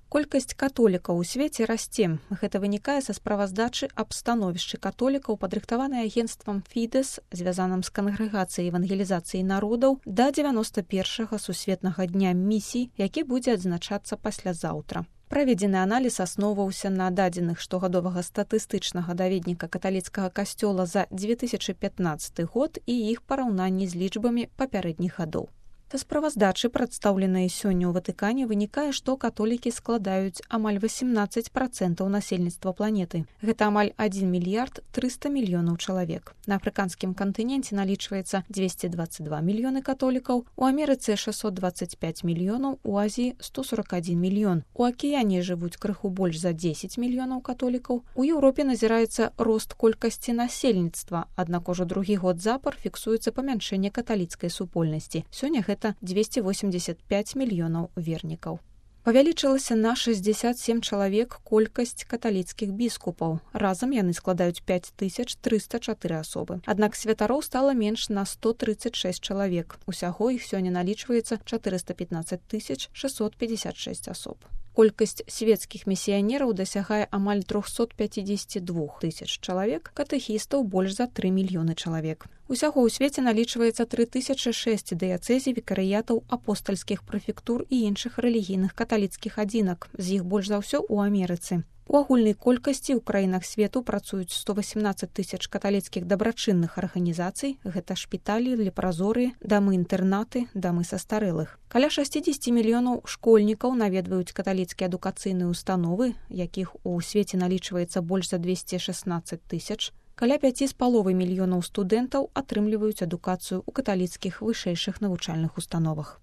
Колькасць католікаў у свеце расце. Гэта вынікае са справаздачы аб становішчы католікаў, падрыхтаванай агенцтвам Фідэс, звязаным з кангрэгацыяй евангелізацыі народаў, да 91-га сусветнага дня місій, які будзе адзначацца паслязаўтра. Праведзены аналіз асноўваўся на дадзеных штогадовага статыстычнага даведніка каталіцкага касцёла за 2015 год і іх параўнанні з лічбамі папярэдніх гадоў. Са справаздачы, прадстаўленай сёння ў Ватыкане, вынікае, што католікі складаюць амаль 18% насельніцтва планеты. Гэта амаль 1 мільярд 300 мільёнаў чалавек. На афрыканскім кантыненце налічваецца 222 мільёны католікаў, у Амерыцы 625 мільёнаў, у Азіі 141 мільён. У акіяне жывуць крыху больш за 10 мільёнаў католікаў. У Еўропе назіраецца рост колькасці насельніцтва, аднак ужо другі год запар фіксуецца памяншэнне каталіцкай супольнасці. Сёння гэта 285 мільёнаў вернікаў. Павялічылася на 67 чалавек колькасць каталіцкіх біскупаў. Разам яны складаюць 5304 асобы. Аднак святароў стала менш на 136 чалавек. Усяго іх сёння налічваецца 415 656 асоб. Колькасць свецкіх місіянераў дасягае амаль 352 тысяч чалавек, катэхістаў больш за 3 мільёны чалавек. Усяго ў свеце налічваецца 3006 дыяцэзій, вікарыятаў, апостальскіх прэфектур і іншых рэлігійных каталіцкіх адзінак, з іх больш за ўсё ў Амерыцы. У агульнай колькасці ў краінах свету працуюць 118 тысяч каталіцкіх дабрачынных арганізацый, гэта шпіталі, лепразорыі, дамы-інтэрнаты, дамы састарэлых. Каля 60 мільёнаў школьнікаў наведваюць каталіцкія адукацыйныя установы, якіх у свеце налічваецца больш за 216 тысяч. Каля 5,5 мільёнаў студэнтаў атрымліваюць адукацыю ў каталіцкіх вышэйшых навучальных установах.